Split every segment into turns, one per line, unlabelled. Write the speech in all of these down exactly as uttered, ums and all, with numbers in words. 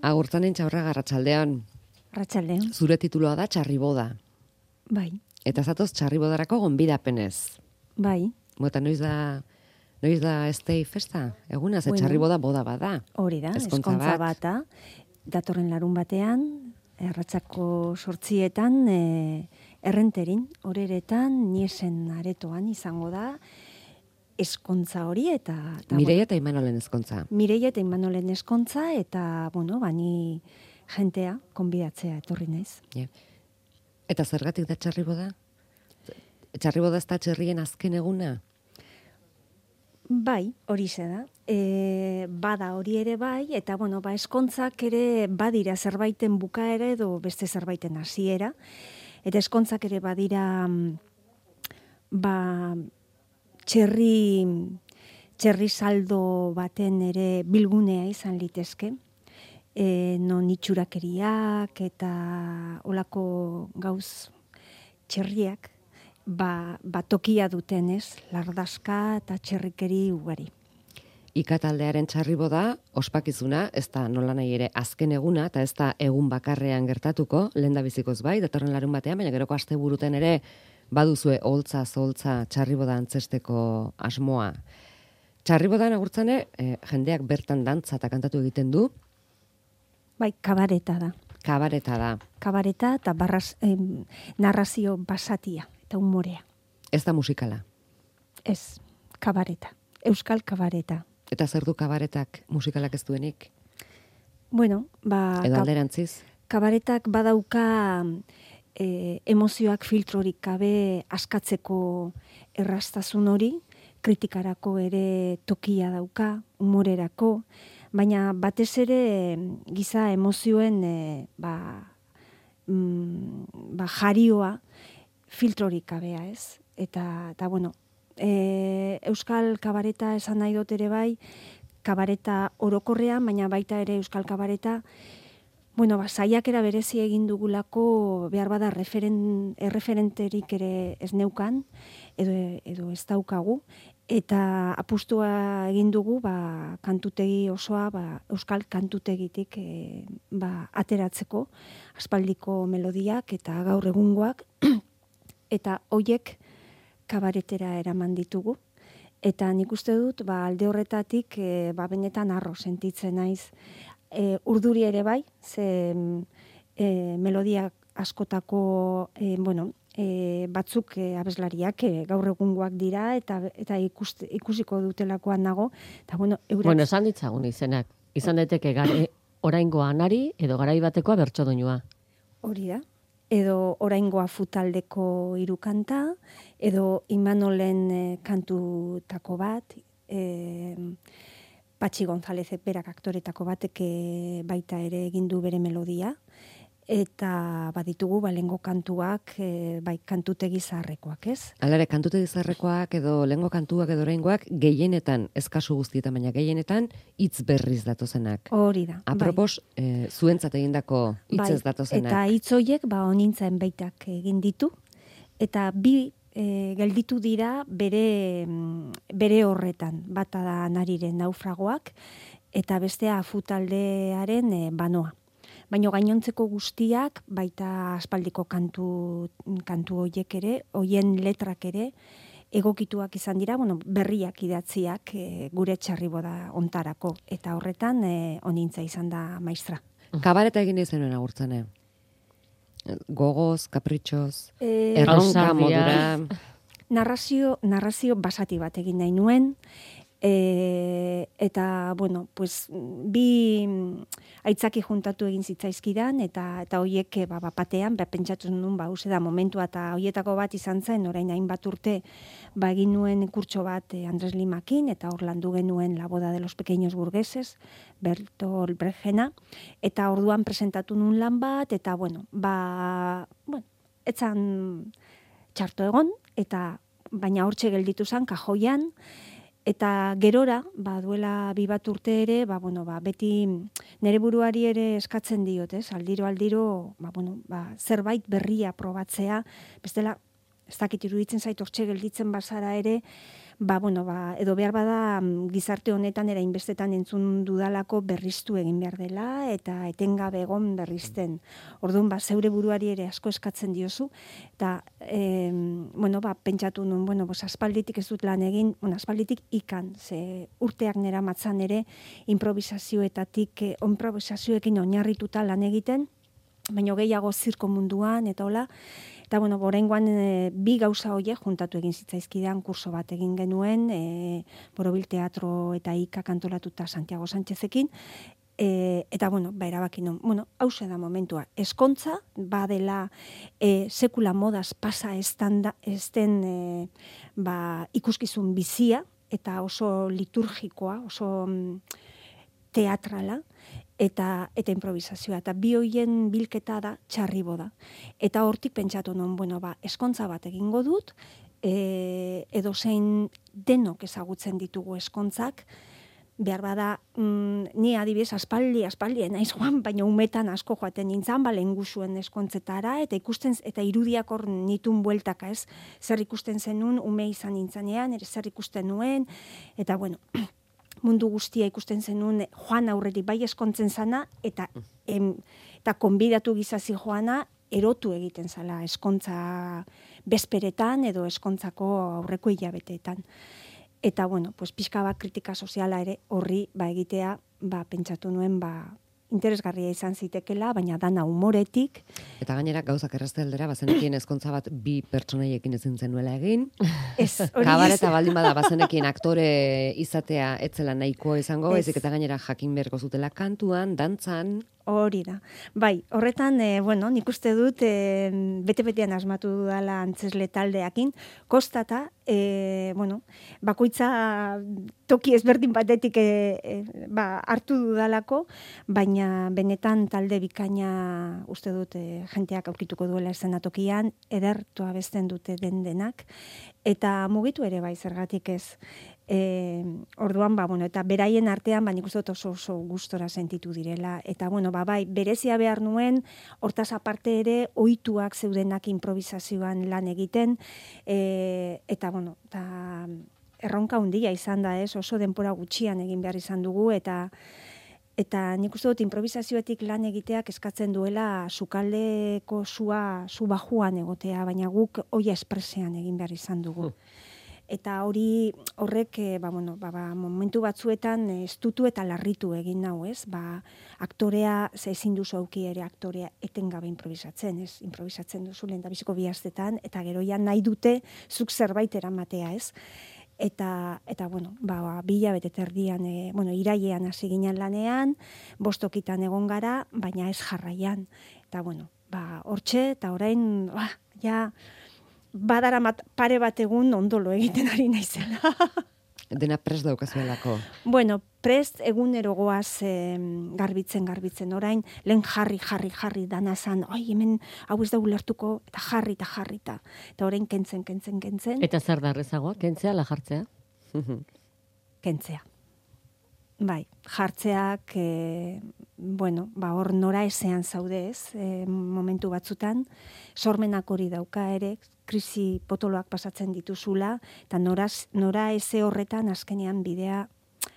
Agurtzanen Txaurraga, arratsaldean.
Arratsaldean.
Zure tituloa da Txarriboda.
Bai.
Eta zatoz Txarribodarako gonbidapenez.
Bai.
Mota noiz da noiz da estei festa? Eguna ze
Bueno,
Txarriboda boda bada.
Hori da,
Ezkontza
eskontza
bat.
bata. Datorren larun batean, arratsako sortzietan, e, errenterin, horeretan, niesen aretoan izango da, eskontza hori eta... eta
Mireia eta Imanolen ezkontza.
Mireia eta Imanolen eskontza eta, bueno, bani jentea, konbidatzea etorri naiz.
Yeah. Eta zergatik da Txarriboda? Txarriboda ez da txerrien azken eguna?
Bai, hori ze da. E, bada hori ere bai, eta bueno, ba, eskontzak ere badira zerbaiten bukaera edo beste zerbaiten hasiera. Eta eskontzak ere badira mm, ba, txerri, txerri saldo baten ere bilgunea izan litezke. E, non itxurakeriak eta olako gauz txerriak ba, ba tokia dutenez, lardazka eta txerrikeri ugari.
Ikataldearen Txarriboda ospakizuna, ez da nola nahi ere azken eguna, eta ez da egun bakarrean gertatuko, lehen da bizikoz bai, datorren larun batean, baina geroko asteburuten ere baduzue holtza, zoltza Txarriboda antzesteko asmoa. Txarribodan agurtzane, eh, jendeak bertan dantza eta kantatu egiten du.
Bai, kabareta da.
Kabareta da.
Kabareta eta barraz, em, narrazio basatia eta humorea.
Ez da musikala.
Ez, kabareta. Euskal kabareta.
Eta zer du kabaretak musikalak ez duenik?
Bueno, ba...
Edo
ka-
alderantziz?
Kabaretak badauka e, emozioak filtrorik gabe askatzeko erraztasun hori, kritikarako ere tokia dauka, humorerako, baina batez ere giza emozioen e, ba, mm, ba, jarioa filtrorik gabea, ez? Eta, eta bueno, e, Euskal kabareta esan nahi dut ere bai, kabareta orokorrean, baina baita ere Euskal kabareta, bueno, ba, saiakera berezi egin dugulako behar bada referen, erreferenterik ere ez neukan, edo, edo ez daukagu, eta apustua egin dugu ba, kantutegi osoa ba, Euskal kantutegitik e, ba, ateratzeko, aspaldiko melodiak eta gaur egungoak, eta hoiek kabaretera eraman ditugu. Eta nik uste dut, ba, alde horretatik, e, ba, benetan arro sentitzen naiz. E, urduri ere bai, ze e, melodia askotako, e, bueno, e, batzuk e, abeslariak e, gaur egungoak dira, eta eta ikust, ikusiko dutelakoan nago. Eta, bueno, eurak...
Bueno, esan ditzagun izenak. Izan daiteke gare, oraingoa anari edo garai batekoa bertso doinua.
Hori da. Edo oraingoa futaldeko hiru kanta, edo Imanolen e, kantutako bat, e, Patxi González berak aktoretako batek e, baita ere egin du bere melodia, eta baditugu balengo kantuak, e, bai kantutegi zaharrekoak, ez?
Alare, kantutegi zaharrekoak edo lehengo kantuak edo oraingoak gehienetan, ez kasu guztietan, baina gehienetan hitz berriz datozenak.
Hori da.
Apropos, bai. e, zuentzat egindako hitzez
bai,
datozenak.
Eta hitz horiek ba honintzen baitak egin ditu, eta bi e, gelditu dira bere, bere horretan, bata da Nariren naufragoak, eta bestea Afutaldearen e, banoa. Baina gainontzeko guztiak, baita aspaldiko kantu, kantu hoiek ere, hoien letrak ere, egokituak izan dira, bueno, berriak idatziak e, gure Txarriboda ontarako, eta horretan e, onintza izan da maistra.
Kabareta egin izenuen agurtzane. Gogoz, kapritxoz,
E,
erronka
Ausardia.
modura.
narrazio, narrazio basati bat egin nahi nuen, e, eta, bueno, pues, bi aitzaki juntatu egin zitzaizkidan, eta eta hoiek ba, bapatean, ba, pentsatu nuen, ba, uze da momentua, eta hoietako bat izan zen, orain hainbat urte, ba, egin nuen kurtso bat e, Andres Limakin, eta hor landu genuen La boda de los pequeños burgueses, Bertolt Brechena, eta orduan presentatu nuen lan bat, eta, bueno, ba, bueno, etzan txarto egon, eta baina hortxe gelditu zen, kajoian, eta gerora, ba, duela bi bat urte ere, ba, bueno, ba, beti nere buruari ere eskatzen diot, ez? Aldiro, aldiro, ba, bueno, ba, zerbait berria probatzea, bestela, ez dakit iruditzen zait hortxe gelditzen bazara ere, ba, bueno, ba, edo behar bada gizarte honetan era inbestetan entzun dudalako berriztu egin behar dela eta etengabe egon berrizten. Orduan, ba, zeure buruari ere asko eskatzen diozu eta e, bueno, ba, pentsatu nun, bueno, bos, aspalditik ez dut lan egin, bueno, aspalditik ikan, ze urteak nera matzan ere improvisazioetatik, eh, improvisazioekin oinarrituta lan egiten, baina gehiago zirko munduan, eta hola, eta bueno, oraingoan e, bi gauza horiek juntatu egin zitzaizkidan kurso bat egin genuen, e, Borobil Teatro eta Ikak antolatuta Santiago Sánchezekin, e, eta bueno, ba erabaki non, bueno, hause da momentua, eskontza, badela e, sekula modaz pasa estanda, esten e, ba, ikuskizun bizia, eta oso liturgikoa, oso mm, teatrala, eta eta improvisazioa, eta bi hoien bilketa da txarribo da. Eta hortik pentsatu non, bueno, ba, eskontza bat egingo dut, e, edo zein denok ezagutzen ditugu eskontzak, behar bada, mm, ni adibidez aspaldi, aspaldi, naiz joan, baina umetan asko joaten nintzen, ba, lehengusuen eskontzetara, eta ikusten, eta irudiak hor nitun bueltaka, ez, zer ikusten zenun, ume izan nintzanean, ere zer ikusten nuen, eta bueno, mundu guztia ikusten zenun joan aurretik bai eskontzen zana, eta em, eta konbidatu gizazi joana erotu egiten zala eskontza bezperetan edo eskontzako aurreko hilabeteetan. Eta bueno, pues pixka bat kritika soziala ere horri ba egitea, ba pentsatu nuen ba interesgarria izan zitekela, baina dana humoretik.
Eta gainera gauzak errazte aldera, bazenekien ezkontza bat bi pertsonaiekin ezin zenuela egin.
Ez, hori
Kabareta baldin bada bazenekien aktore izatea etzela nahikoa izango, ezik eta gainera jakin beharko zutela kantuan, dantzan.
Hori da. Bai, horretan, e, bueno, nik uste dut e, bete-betean asmatu dudala antzesle taldeakin, kostata, e, bueno, bakoitza toki ezberdin batetik e, e, ba, hartu dudalako, baina benetan talde bikaina uste dut e, jenteak aurkituko duela eszenatokian, edertu abesten dute den denak, eta mugitu ere bai zergatik ez. E, orduan, ba, bueno, eta beraien artean, ba, nik uste dut oso, oso gustora sentitu direla. Eta, bueno, ba, bai, berezia behar nuen, hortaz aparte ere, ohituak zeudenak improvisazioan lan egiten, e, eta, bueno, eta erronka handia izan da, ez, oso denpora gutxian egin behar izan dugu, eta eta nik uste dut improvisazioetik lan egiteak eskatzen duela sukaldeko sua, su bajuan egotea, baina guk oia espresean egin behar izan dugu. Eta hori horrek ba, bueno, ba, ba, momentu batzuetan estutu eta larritu egin nau, ez? Ba, aktorea, ze ezin duzu auki ere aktorea etengabe improvisatzen, ez? Improvisatzen duzu lehen da biziko bihaztetan, eta geroian nahi dute zuk zerbait eramatea, ez? Eta, eta bueno, ba, bila bete terdian, e, bueno, irailean hasi ginen lanean, bostokitan egon gara, baina ez jarraian. Eta, bueno, ba, hortxe, eta orain, ba, ja, badara mat, pare bat egun ondolo egiten ari naizela.
Dena prest daukazuelako.
Bueno, prest egunero goaz eh, garbitzen, garbitzen. Orain, lehen jarri, jarri, jarri danazan, oi, hemen hau ez da ulertuko, eta jarri, eta jarri, eta, eta orain kentzen, kentzen, kentzen.
Eta zer da errezagoa, kentzea, la jartzea?
Kentzea. Bai, jartzeak, e, bueno, ba, hor nora ezean zaude ez, e, momentu batzutan, sormenak hori dauka ere, krisi potoloak pasatzen dituzula, eta nora, nora eze horretan azkenean bidea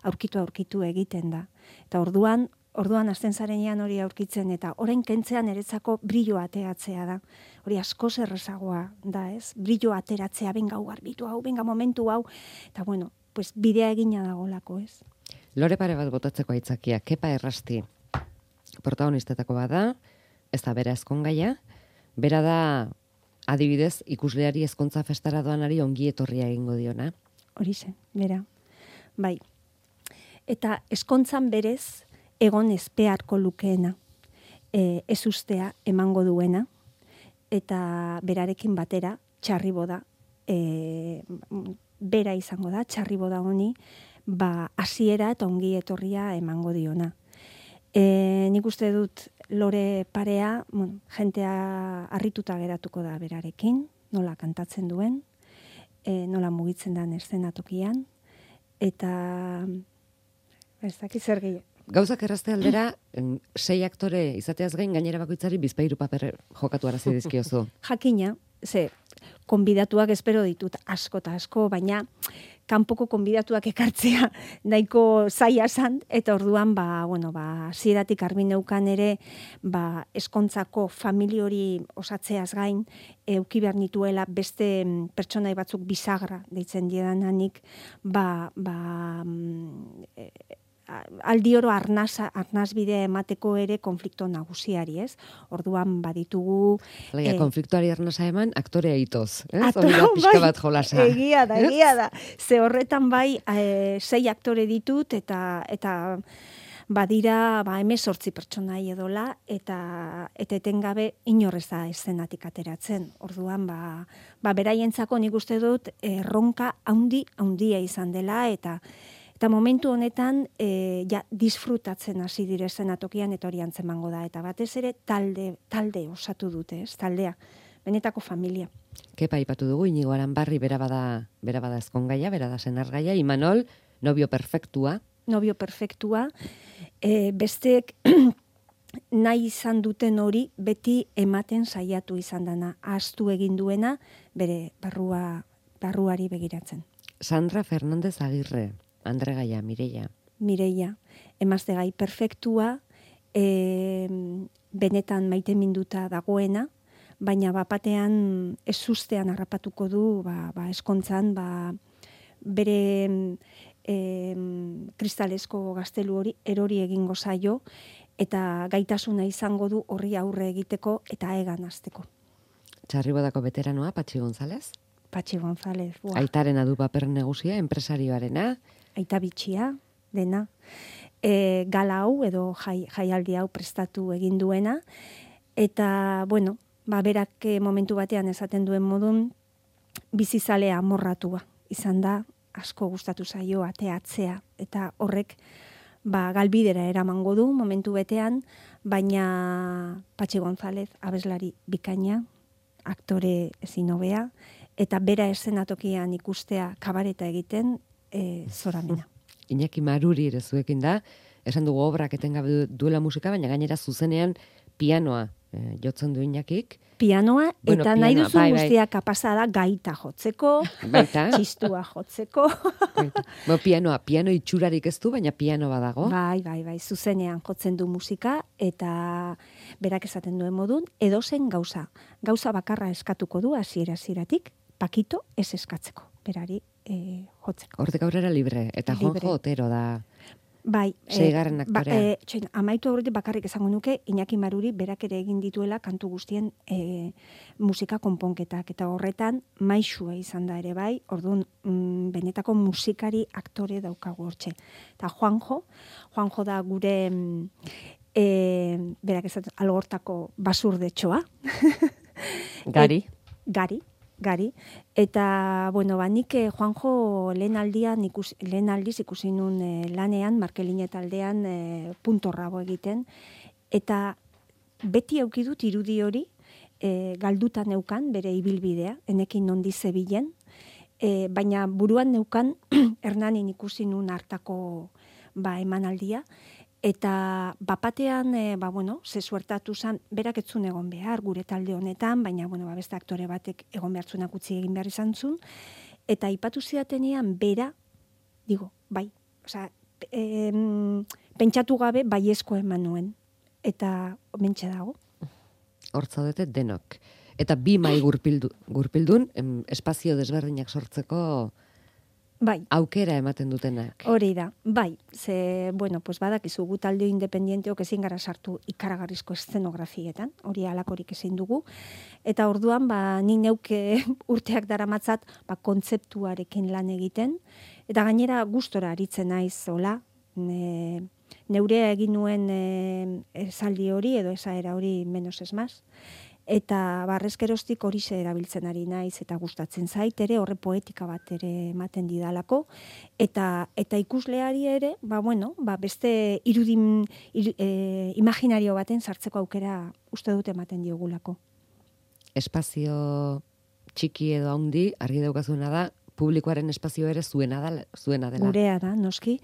aurkitu aurkitu egiten da. Eta orduan, orduan azten zarenean hori aurkitzen, eta orain kentzean eretzako brillo ateatzea da. Hori askoz errezagoa da ez, brillo ateratzea, benga hau garbitu hau, benga momentu hau, eta bueno, pues bidea egina dagolako ez.
Lore pare bat botatzeko aitzakia, Kepa Errasti protagonistetako bada, ez da bera ezkongaia, bera da adibidez ikusleari ezkontza festara doanari ongi etorria egingo diona.
Horixe, bera, bai. Eta ezkontzan berez egon ezpearko lukeena, e, ez ustea emango duena, eta berarekin batera txarriboda, e, bera izango da, txarriboda honi, ba, hasiera eta ongi etorria emango diona. E, nik uste dut Lore parea, bueno, jentea harrituta geratuko da berarekin, nola kantatzen duen, e, nola mugitzen den eszenatokian, eta ez dakit zer gehiago.
Gauzak errazte aldera, sei aktore izateaz gain gainera bakoitzari bizpahiru paper jokatu arazi dizkiozu.
Jakina, ze, konbidatuak espero ditut asko eta asko, baina kanpoko konbidatuak ekartzea nahiko zaila zan, eta orduan, ba, bueno, ba, hasieratik argi neukan ere, ba, eskontzako famili hori osatzeaz gain, euki behar nituela beste pertsonai batzuk bisagra deitzen diedanik, ba, ba, e, aldi oro arnaz, arnaz bidea emateko ere konflikto nagusiari, ez? Orduan baditugu...
Laia,
eh,
konfliktuari arnaza eman, aktorea itoz, ez?
Ato,
Hori da pixka
bai,
bat jolasa.
Egia da, egia da. Ze horretan bai, e, sei aktore ditut, eta eta badira, ba, emezortzi pertsonai edola, eta eta etengabe inorrez da eszenatik ateratzen. Orduan, ba, ba beraientzako nik uste dut erronka haundi, haundia izan dela, eta Eta momentu honetan, e, ja, disfrutatzen hasi dire eszenatokian eta hori antzemango da. Eta batez ere, talde, talde osatu dute, ez? Taldea, benetako familia.
Kepa aipatu dugu, Inigo Aranbarri bera bada, bera bada ezkongaia, bera da senargaia, Imanol, nobio perfektua.
Nobio perfektua. E, besteek nahi izan duten hori beti ematen saiatu izan dana. Ahaztu egin duena, bere barrua, barruari begiratzen.
Sandra Fernández Agirre. Andre Gaia, Mireia.
Mireia, emazte gai perfektua, e, benetan maite minduta dagoena, baina bapatean ez ustean harrapatuko du, ba, ba eskontzan, ba, bere e, kristalesko gaztelu hori erori egingo zaio, eta gaitasuna izango du horri aurre egiteko eta egan azteko.
Txarribodako veteranoa, Patxi González.
Patxi González. Buah.
Aitaren adu paper negusia, enpresarioarena.
Aita bitxia, dena. E, gala hau edo jai, jaialdi hau prestatu egin duena. Eta, bueno, ba, berak momentu batean esaten duen modun, bizizalea amorratua. Izan da, asko gustatu zaio ateatzea. Eta horrek, ba, galbidera eramango du momentu betean, baina Patxi González, abeslari bikaina, aktore ezin hobea, eta bera eszenatokian ikustea kabareta egiten, e, zoramena.
Iñaki Maruri ere zuekin da, esan dugu obrak etengabe duela musika, baina gainera zuzenean pianoa e, jotzen du Iñakik.
Pianoa,
Bueno,
eta nahi
pianoa,
duzu
bai, bai.
guztia kapasa da gaita jotzeko,
Baita.
txistua jotzeko.
Baita. Bo, pianoa, piano itxurarik ez du, baina piano badago.
Bai, bai, bai, zuzenean jotzen du musika, eta berak esaten duen modun, edozen gauza. Gauza bakarra eskatuko du, hasiera hasieratik, pakito ez eskatzeko, berari e, jotzeko.
Hortik aurrera libre, eta
Libre.
Juanjo Otero da.
Bai,
Seigarren
ba,
aktorea.
e, txoin, amaitu aurretik bakarrik esango nuke, Iñaki Maruri berak ere egin dituela kantu guztien e, musika konponketak, eta horretan maixua izan da ere bai, orduan mm, benetako musikari aktore daukagu hortxe. Eta Juanjo, Juanjo da gure mm, e, berak esaten algortako basurdetxoa.
Gari.
Et, gari. Gari, eta, bueno, ba, nik eh, Juanjo lehen aldian, ikus, lehen aldiz ikusi nun eh, lanean, Markeline taldean eh, punto rabo egiten, eta beti aukidut irudi hori, eh, galduta neukan, bere ibilbidea, enekin nondi zebilen, eh, baina buruan neukan, Hernanin ikusi nun hartako ba, emanaldia, eta bapatean, e, ba, bueno, ze suertatu zan, berak etzun egon behar, gure talde honetan, baina, bueno, ba, beste aktore batek egon behartzunak utzi egin behar izan zun, eta ipatu zidatenean, bera, digo, bai, osea, em, pentsatu gabe, baiezko eman nuen, eta mentxe dago.
Hortzaudete denok. Eta bi mai gurpildu, gurpildun, em, espazio desberdinak sortzeko
Bai.
aukera ematen dutenak.
Hori da, bai, ze, bueno, pues badakizu gu talde independienteok ezin gara sartu ikaragarrizko eszenografietan, hori alakorik ezin dugu, eta orduan, ba, ni neuke urteak daramatzat, ba, kontzeptuarekin lan egiten, eta gainera gustora aritzen naiz, hola, ne, neurea egin nuen e, esaldi hori, edo esaera hori menos ez maz, eta barrezkerostik hori ze erabiltzen ari naiz eta gustatzen zait ere, horre poetika bat ere ematen didalako, eta eta ikusleari ere, ba bueno, ba beste irudin iru, e, imaginario baten sartzeko aukera uste dut ematen diogulako.
Espazio txiki edo handi, argi daukazuna da, publikoaren espazio ere zuena da, zuena dela.
Gurea da, noski,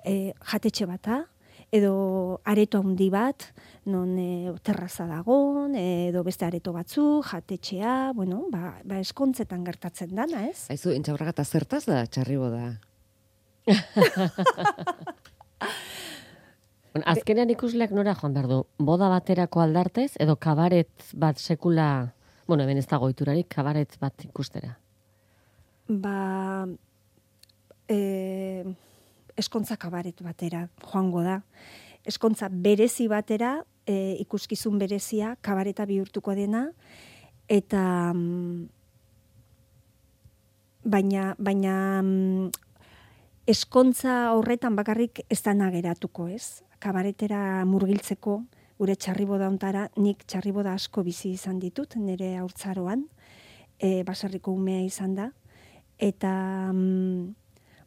e, jatetxe bata, edo areto handi bat, non e, terraza dagon, edo beste areto batzu, jatetxea, bueno, ba, ba eskontzetan gertatzen dana, ez?
Aizu, Intxaurraga eta zertaz da txarriboda?
Bueno, azkenean ikusleak nora joan behar du? Boda baterako aldartez, edo kabaret bat sekula, bueno, hemen ez dago ohiturarik, kabaret bat ikustera?
Ba, e, eskontza kabaret batera joango da. Eskontza berezi batera, e, ikuskizun berezia, kabareta bihurtuko dena, eta mm, baina, baina mm, eskontza horretan bakarrik ez da nageratuko, ez? Kabaretera murgiltzeko, gure txarriboda ontara, nik txarriboda asko bizi izan ditut, nire haurtzaroan, e, baserriko umea izan da, eta mm,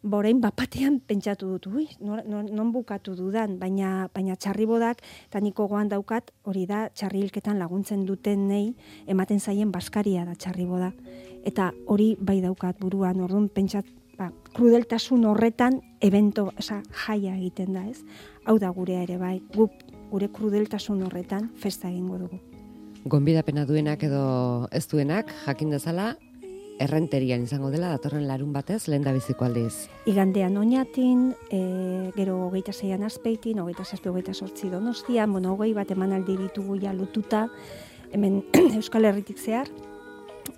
borein bapatean pentsatu dut, ui, non, non, non bukatu dudan, baina, baina txarribodak, eta niko goan daukat, hori da, txarrilketan laguntzen duten nei, ematen zaien baskaria da txarriboda. Eta hori bai daukat buruan, orduan pentsat, ba, krudeltasun horretan evento, oza, jaia egiten da, ez? Hau da gurea ere bai, guk gure krudeltasun horretan festa egingo dugu.
Gonbidapena duenak edo ez duenak, jakin dezala, errenterian izango dela, datorren larun batez, lehen da biziko aldiz.
Igandean Oñatin, e, gero hogeita zeian Azpeitin, hogeita zazpi, hogeita sortzi Donostian, bueno, hogei bat emanaldi ditugu ja lotuta, hemen Euskal Herritik zehar,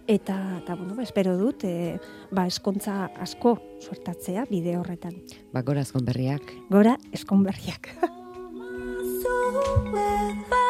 eta, eta bueno, ba, espero dut, e, ba, eskontza asko suertatzea bide horretan.
Ba, gora ezkonberriak.
Gora eskonberriak.
So with